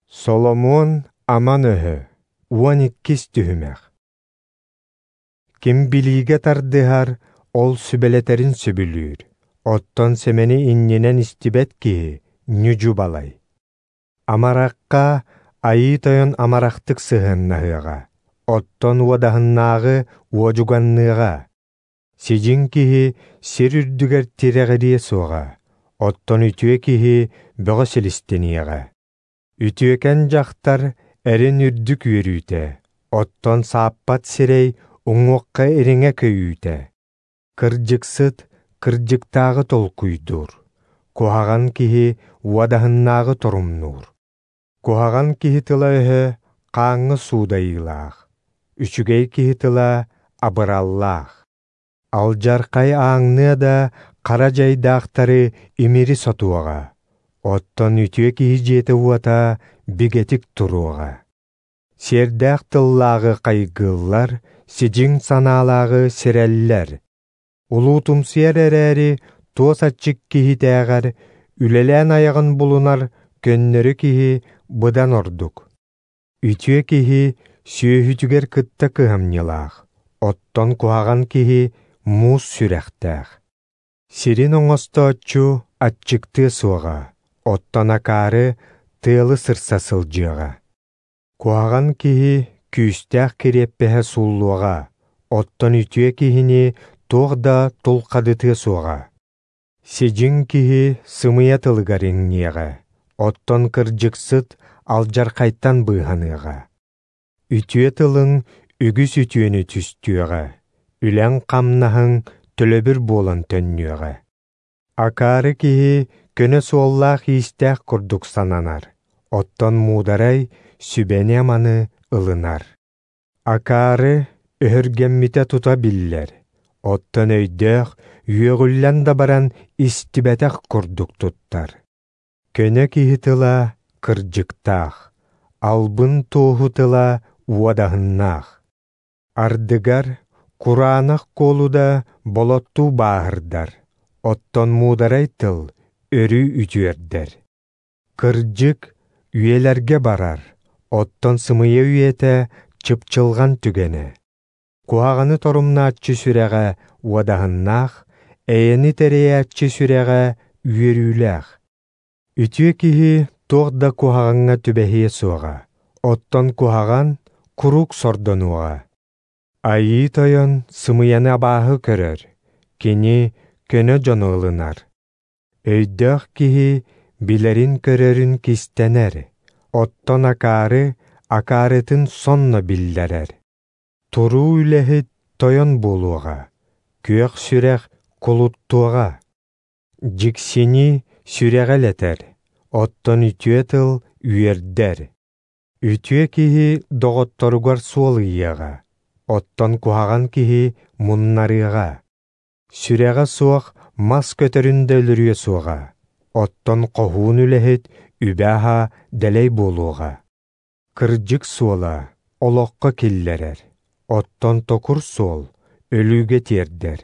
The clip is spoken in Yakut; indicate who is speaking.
Speaker 1: Соломуон аман өһө, 12 түһүмэх. Ким билиигэ тардыһар, ол сүбэлэтэрин сөбүлүүр. Оттон сэмэни иннинэн истибэт киһи ньүдьү балай. Амарахха Айыы Тойон амарахтык сыһыаннаһыаҕа, оттон уодаһыннааҕы уодьуганныаҕа. Сидьиҥ киһи сир үрдүгэр тирэҕириэ суоҕа, оттон үтүө киһи бөҕө силистэниэҕэ. Үтүөкэн дьахтар эрин үрдүк үөрүүтэ, оттон сааппат сирэй уҥуохха ириҥэ көйүүтэ. Кырдьыксыт кырдьыктааҕы толкуйдуур, куһаҕан киһи уодаһыннааҕы торумнуур. Куһаҕан киһи тыла-өһө хааҥҥа суудайыылаах, үчүгэй киһи тыла абыраллаах. Алдьархай ааҥныа да хара дьайдаахтары имири сотуоҕа, оттон үтүө киһи дьиэтэ-уота бигэтик туруоҕа. Сиэрдээх тыллааҕы хайгыыллар, сидьиҥ санаалааҕы сирэллэр. Улуутумсуйар эрээри туос аччык киһитээҕэр үлэлээн айаҕын булунар көннөрү киһи быдан ордук. Үтүө киһи сүөһүтүгэр кытта кыһамньылаах, оттон куһаҕан киһи муус сүрэхтээх. Сирин оҥостооччу аччыктыа суоҕа, оттон акаары тыалы сырса сылдьыаҕа. Куһаҕан киһи күүстээх кириэппэһэ сууллуоҕа, оттон үтүө киһини туох да тулхадытыа суоҕа. Сидьиҥ киһи сымыйа тылыгар иҥниэҕэ, оттон кырдьыксыт алдьархайтан быыһаныаҕа. Үтүө тылыҥ үгүс үтүөнү түстүөҕэ, үлэҥ-хамнаһыҥ төлөбүр буолан төннүөҕэ. Акаары киһи көнө суоллаах-иистээх курдук сананар, оттон муударай сүбэни-аманы ылынар. Акаары өһүргэммитэ тута биллэр, оттон өйдөөх үөҕүллэн да баран истибэтэх курдук туттар. Көнө киһи тыла кырдьыктаах, албын туоһу тыла уодаһыннаах. Ардыгар кураанах куолу да болоттуу бааһырдар, оттон муударай тыл өрүү үтүөрдэр. Кырдьык үйэлэргэ барар, оттон сымыйа үйэтэ чыпчылҕан түгэнэ. Куһаҕаны торумнааччы сүрэҕэ уодаһыннаах, эйэни тэрийээччи сүрэҕэ үөрүүлээх. Үтүө киһи туох да куһаҕаҥҥа түбэһиэ суоҕа, оттон куһаҕан куруук сордонуоҕа. Айыы Тойон сымыйаны абааһы көрөр, кини көнө дьону ылынар. Өйдөөх киһи билэрин-көрөрүн кистэнэр, оттон акаары акаарытын сонно биллэрэр. Туруу үлэһит тойон буолуоҕа, күөх сүрэх кулуттуоҕа. Дьиксини сүрэҕи элэтэр, оттон үтүө тыл үөрдэр. Үтүө киһи доҕотторугар суол ыйыаҕа, оттон куһаҕан киһи муннарыаҕа. Сүрэҕэ суох мас көтөрүн да өлөрүө суоҕа, оттон хоһуун үлэһит үбэ-аһа дэлэй буолуоҕа. Кырдьык суола олоххо киллэрэр, оттон токур суол өлүүгэ тиэрдэр.